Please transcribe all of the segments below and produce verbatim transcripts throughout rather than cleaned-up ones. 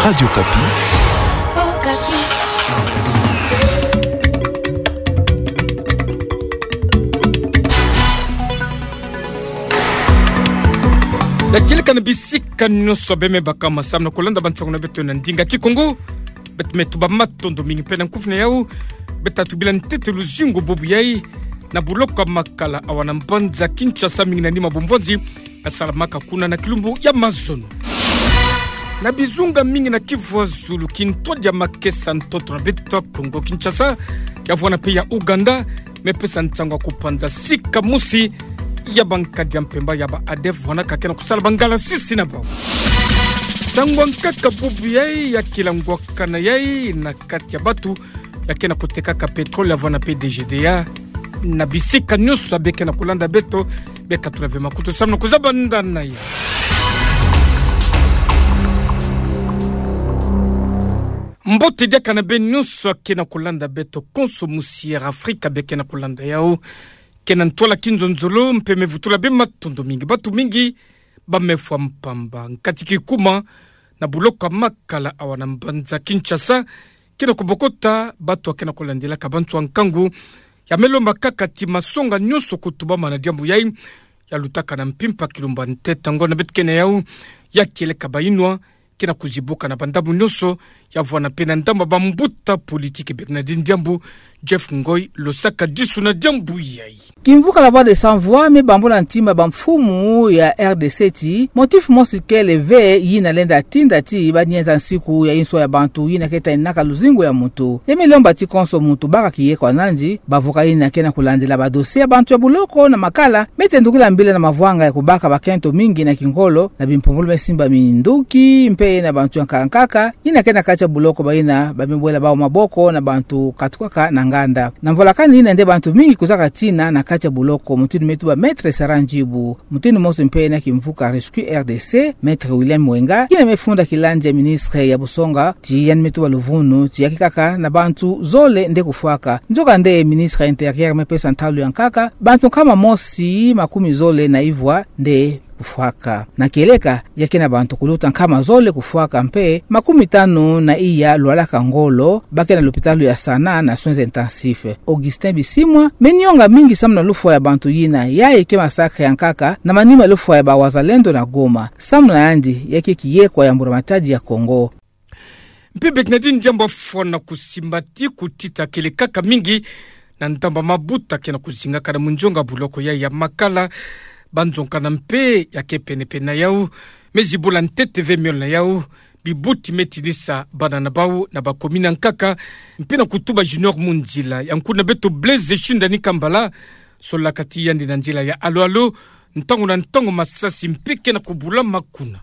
Radio Okapi. Ya kieleka na bisika nyonso bemebaka masamu na kolanda bansango na beto na ndinga Kikongo. Beto me tuba matondo mingi mpe na nkufi na yau. Beto tubila ntete luzingu bubu yai na buloko ya Makala awa na mbanza Kinshasa, mingi na nima bumvonzi yasalamaka kuna na kilumbu ya mazono. Na bizunga mingi na Kivu ya Zulu, kintwadi ya makesa ntoto na beto Kongo Kinshasa, ya vwanda mpe ya Ouganda, me pesa nsangu ya kupanza sika mosi ya bankadi ya mpemba ya ba ADF vwanaka ke na kusala bangalasisi na bau. Nsangu ya nkaka bubu yai ya kilangwakana yai na kati ya batu ya ke na kutekaka pétrole ya vwanda mpe D G D A. Na bisika nyonso ya be ke na kulanda beto, be katula ve makutu samu na kuzaba ndana ya mbote diaka na beno nyonso ya ke na kulanda beto konso, musi Air Afrika be ke na kulanda yau. Ke na ntwala kinzonzolo mpe me vutula be matondo mingi. Batu mingi ba me fwa mpamba nkati kikuma na buloko ya Makala awa na mbanza Kinshasa, ke na kubokota batu ya ke na kulandilaka bantu ya nkangu. Ya me lomba kaka ti masonga nyonso kutubama na diambu yai, ya lutaka na mpimpa kilumbu ya ntete. Ntangu na beto ke na yau, ya kieleka bayinwa ke na kuzibuka na bandambu nyonso, ya vwanda mpe na ndambu ya bambuta politiki. Bernardine Diambu, Jeff Ngoy, losaka disu na diambu yai. Kimvuka La Voix des Sans Voix me bambula ntima bamfumu ya R D C ti motif mosi kele ve yina lenda tinda ti banienza nsiku ya inswa ya bantu yina ke taninaka luzingu ya muntu. Ya me lomba ti konso muntu baka kiyeko ya nandi, bavuka yina ke na kulandila badossier ya bantu ya buloko na Makala, me tendukila mbila na mavwanga ya kubaka bakento mingi na kingolo, na bimpumbulu me simba minduki, mpe na bantu ya nkaka nkaka yina ke na kati ya buloko, bayina ba me bwela bau maboko na bantu katukaka na nganda. Na mvolakani yina nde bantu mingi kuzaka tina na kati ya buloko, mutindu me tuba Maître Sarah Ndjibu. Mutindu mosi mpe na kimvuka Rescue R D C, Maître William Mwenga, yina me funda kilandi ya ministre ya busonga, ti yandi me tuba luvunu ti ya kikaka na bantu zole nde kufwaka. Nzoka nde ministre Intérieur me pesa ntalu ya nkaka, bantu nkama mosi makumi zole na ivwa nde kufwaka. Na kieleka, ya ke na bantu kuluta nkama zole kufwaka mpe makumi tanu na iya lwalaka ngolo, ba ke na lopitalo ya Sana na soins intensifs. Augustin Bisimwa me nionga mingi samu na lufwa ya bantu yina, yayi ke massacre ya nkaka na manima lufwa ya ba wazalendo na Goma. Samu na yandi, ya ke kiyeko ya mbura matadi ya Kongo. Mpe Bernardine Diambu afwana kusimba ti kutita kele kaka mingi na ndambu ya mabuta ke na kuzingaka na munzonga buloko yai ya Makala. Banzonzolo mpe ya ke pene-pene na yau me zibula ntete ve miole na yau. Bibuti me tidisa bana na bau na ba commune ya nkaka. Mpe na kutuba Junior Munzila, ya nkuna beto Blaise Shindani Kambala, solaka ti yandi na nzila ya alo-alo ntangu na ntangu masasi mpe ke na kubulama kuna.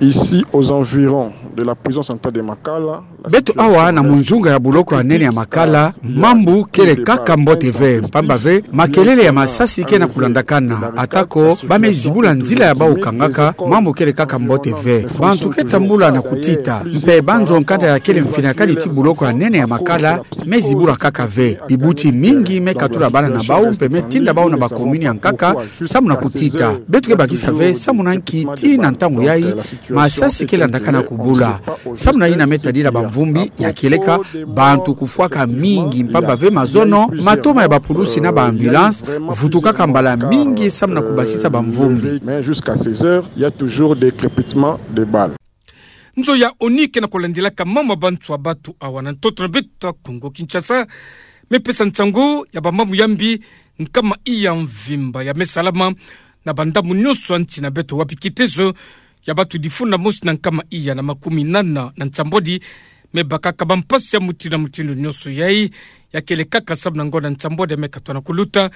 Ici, aux environs de la prison centrale de Makala, beto awa na munzunga ya buloko ya nene ya Makala, mambu kele kaka mbote ve, mpamba ve makelele ya masasi ke na kulandakana, atako ba me zibula nzila ya bau kangaka, mambu kele kaka mbote ve. Bantu ke tambula na kutita, mpe banzonzolo ya kele mfinakadi ti buloko ya nene ya Makala me zibula kaka ve. Bibuti mingi me katula bana na bau mpe me tinda bau na ba commune ya nkaka samu na kutita. Beto ke bakisa ve samu na nki tii na ntangu yai masasi ke landakana kubula. Samu na yina me tadila bamvumbi, ya kieleka bantu kufwaka mingi, mpamba ve mazono matoma ya bapulusi na ba ambulance vutukaka mbala mingi samu na kubasisa bamvumbi. Mais jusqu'à ces heures, il y a toujours des crépitements de balles. Nzo ya ONU ke na kulandilaka mambu ya bantu ya batu awa na ntoto na beto ya Kongo Kinshasa me pesa nsangu ya bamambu ya mbi nkama iya mvimba ya me salama na bandambu nyonso ya nsi na beto, wapi kitezo ya batu difunda mosi na nkama iya na makumi nana na nsambwadi me bakaka bampasi ya mutindu na mutindu nyonso. Yai ya kele kaka samu na ngonda nsambwadi ya me katwa na kuluta.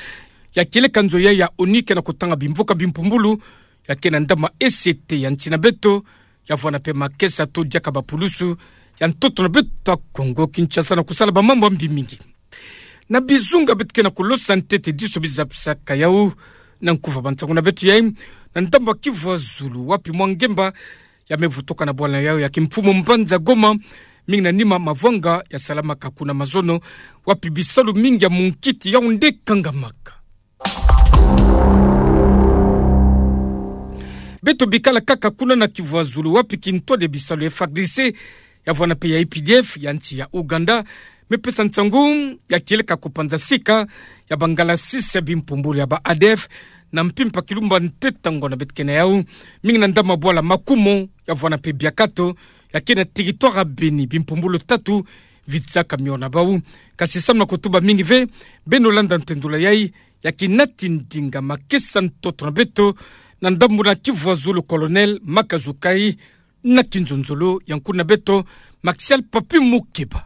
Ya kieleka nzo yai ya ONU ke na kutanga bimvuka bimpumbulu ya ke na ndambu ya E C T ya nsi na beto, ya vwanda mpe makesa to diaka bapulusu ya ntoto na beto ya Kongo Kinshasa na kusala bamambu ya mbi mingi. Na bizunga beto ke na kulosa ntete diso bizapisaka yau na nkufa bansangu na beto yai, na ndambu ya Kivu ya Zulu, wapi mwa ngemba ya me vutuka na bwala na yau ya kimfumu mbanza Goma, mingi na nima mavwanga ya salamaka kuna mazono, wapi bisalu mingi ya munkiti yau nde kangamaka. Beto bikala kaka kuna na Kivu ya Zulu, wapi kintwadi ya bisalu ya F A R D C, ya vwanda mpe ya U P D F ya nsi ya Ouganda, me pesa nsangu ya kieleka kupanza sika ya bangalasisi ya bimpumbulu ya ba A D F na mpimpa kilumba ntete ngwa na beto ke na yau, mingi na ndambu ya bwala Makumo, ya vwanda mpe Biakato, ya ke na territoire ya Beni, bimpumbulu tatu vitsaka miona bau. Kasi samu na kutuba mingi ve, beno landa ntendula yai, ya kinati ndinga makesa ntoto na beto, na ndambu na Kivu ya Zulu, Colonel Makazukai, na kinzonzolo ya nkuna beto, Maxial Papi Mukeba.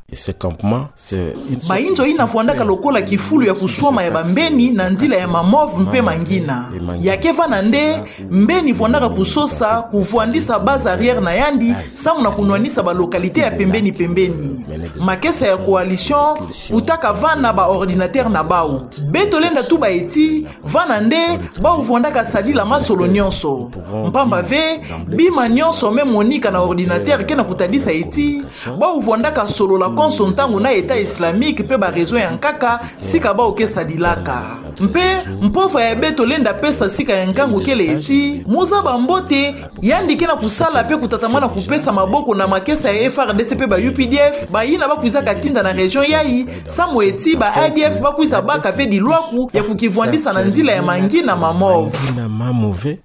Bayinzo yina vwandaka lokola kifulu ya kuswama ya bambeni na nzila ya Mamove mpe mangina. Ya ke vwanda nde, mbeni vwandaka kusosa kuvwandisa base arrière na yandi, samu na kunwanisa ba localité ya pembeni pembeni. Makesa ya coalition, utaka vwanda ba ordinateur na bau. Beto lenda tuba eti, vwanda nde, bau vwandaka sadila masolo nyonso. Mpamba ve, bima nyonso me monika na ordinateur ke na kutadisa eti, bau vwandaka solola konso ntangu na État islamique mpe ba réseau ya nkaka, sika bau ke sadilaka. Mpe, mpova ya beto lenda pesa sika ya nkangu kele eti, mu zaba mbote, yandi ke na kusala mpe kutatamana kupesa maboko na makesa ya F A R D C mpe ba U P D F, bayina ba kwizaka tinda na région yai, samu eti ba A D F ba kwiza baka ve dilwaku ya kukivwandisa na nzila ya mangina Mamove.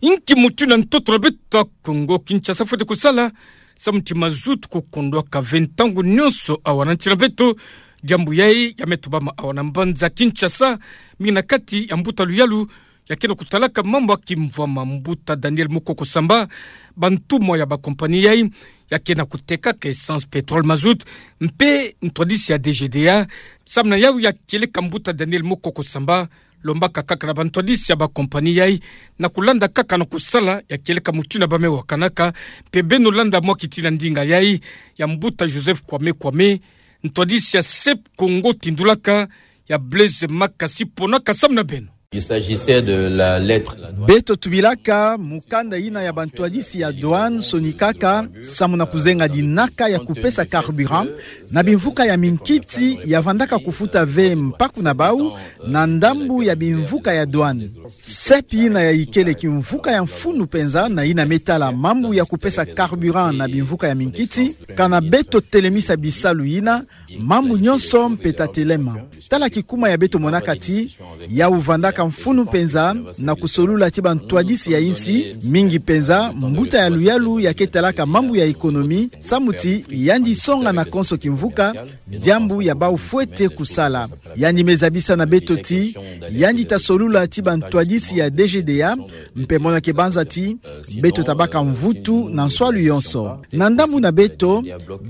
Inki mutindu ntoto na beto ya Kongo Kinshasa fwete kusala, samu ti mazout kukondwaka ve ntangu nyonso awa na nsi na beto? Diambu yai ya me tubama awa na mbanza Kinshasa, mingi na kati ya mbuta luyalu ya ke na kutalaka mambu ya kimvwama, mbuta Daniel Mukoko Samba, bantumwa ya ba compagnie yai ya ke na kutekaka essence, pétrole, mazout, mpe ntwadisi ya D G D A. Samu na yau ya kieleka mbuta Daniel Mukoko Samba, lombaka kaka na bantwadisi ya ba compagnie yai na kulanda kaka na kusala ya kieleka mutindu ba me wakanaka, mpe beno landa mwa kitina ndinga yai ya mbuta Joseph Kwame Kwame, ntwadisi ya S E P Congo tindulaka, ya Blaise Makasi ponaka samu na beno. Il s'agissait de la lettre. Beto tubilaka mukanda yina ya bantwadisi ya douane sonikaka samu na kuzenga dinaka ya kupesa carburant na bimvuka ya minkiti ya vandaka kufuta ve mpaku na bau na ndambu ya bimvuka ya douane. S E P yina ya ikele kimvuka ya mfunu mpenza na yina me tala mambu ya kupesa carburant na bimvuka ya minkiti, kana beto telemisa bisalu yina, mambu nyonso mpe ta telema. Tala kikuma ya beto monaka ti, yau vandaka mfunu mpenza na kusolula ti bantwadisi ya insi, mingi mpenza mbuta ya luyalu ya ke talaka mambu ya économie, samu ti yandi songa na konso kimvuka diambu ya bau fwete kusala. Yandi me zabisa na beto ti, yandi ta solula ti bantwadisi ya D G D A, mpe mona ke banza ti, beto ta baka mvutu na nswalu yonso. Na ndambu na beto,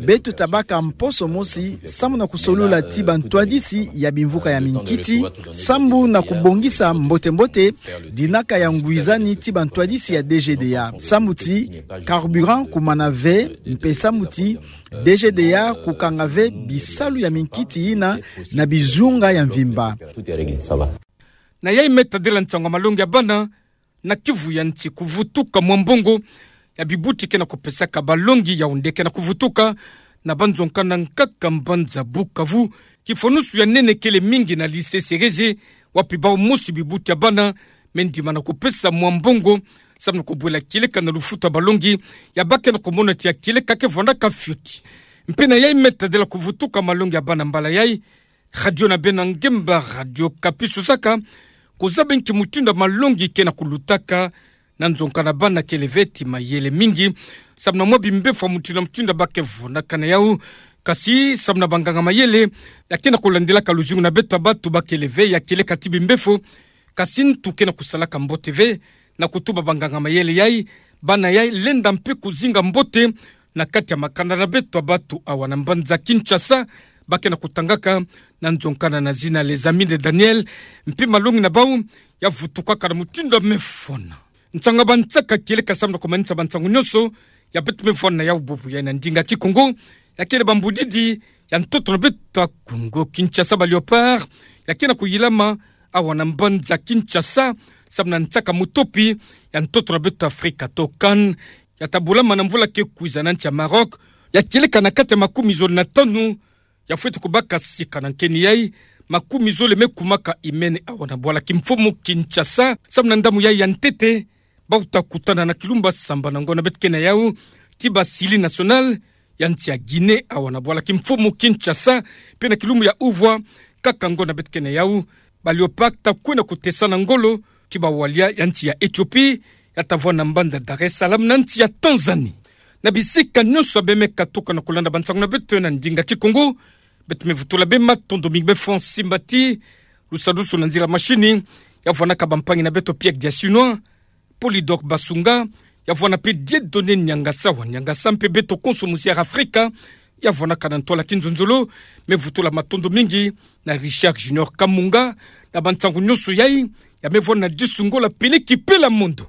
beto ta baka mposo mosi, samu na kusolula ti bantwadisi ya bimvuka ya minkiti, samu na kubongisa mbote-mbote dinaka ya ngwizani ti bantwadisi ya D G D A. Samu ti carburant kumana ve, mpe samu ti D G D A kukanga ve bisalu ya minkiti yina na bizunga ya mvimba. Na yai me tadila nsangu ya malongi ya bana, na Kivu ya nsi kuvutuka mwa mbongo ya bibuti ke na kupesaka balongi ya onde ke na kuvutuka na banzo nkanda nkaka mbanza Bukavu. Kifonusu ya nene kele mingi na lycée Cerezo, wapi bau mosi bibuti ya bana me ndimana kupesa mwa mbongo, samu na kubwela kieleka na lufuta balongi, ya ba ke na kumona ti ya kieleka ke vandaka fioti. Mpe na yai me tadila kuvutuka malongi ya bana mbala yai, radio na beno ya ngemba, Radio Okapi, susaka kuzaba nki mutindu malongi ke na kulutaka na nzo nkanda bana kele ve ti mayele mingi, samu na mwa bimbefo ya mutindu mutindu ba ke vunaka na yau. Kasi samu na banganga mayele ya ke na kulandilaka luzingu na beto ya batu ba kele ve ya kieleka ti bimbefo, kasi ntu ke na kusalaka mbote ve na kutuba banganga mayele yai, bana yai lenda mpe kuzinga mbote na kati ya makanda na beto ya batu awa na mbanza Kinshasa, ba ke na kutangaka na nzo nkanda na zina Les Amis de Daniel, mpe malongi na bau ya vutukaka na mutindu ya me fona. Nsangu ya bansaka kieleka samu na kumanisa bansangu nyonso ya beto me fona na yau bubu yai na ndinga Kikongo, ya kele bambudidi ya ntoto na beto ya Kongo Kinshasa, ba Léopards ya ke na kuyilama awa na mbanza Kinshasa, samu na nsaka mutopi ya ntoto na beto Afrika to CAN, ya ta bulama na mvula ke kwiza na nsi ya Maroc, ya kieleka na kati ya makumi zole na tanu ya fwete kubaka sika na nkeni yai, makumi zole me kumaka imene awa na bwala kimfumu Kinshasa, samu na ndamuyai ya ntete, bau ta kutana na kilumba sambana ngona beto kena yau, ti ba sili national, ya nsi ya Guinée awa na bwala kimfumu Kinshasa, pe na kilumbu ya uvwa, kaka ngona beto kena yau, ba Léopards ta kwenda kutesana ngolo, ti ba walia ya nsi ya Éthiopie, ya ta vwa na mbanza Dar es Salaam na nsi ya Tanzanie. Na bisika nyonso ya bemeka tuka na kulanda bansangu na beto na ndinga Kikongo, beto me vutula bê matondo mingi bê Francis Mbati, lusadusu na nzila machine, ya vwanaka bampangi na beto Pierre Diasinois, Polydor Basunga, ya vwana pe Dieudonné Niangasa wa Niangasa mpe beto konso muzière Afrika, ya vwanaka na ntwala kinzonzolo, me vutula matondo mingi na Richard Junior Kamunga, na bansangu nyonso yai, ya me vwana na disu ngolo peleki pela mondo.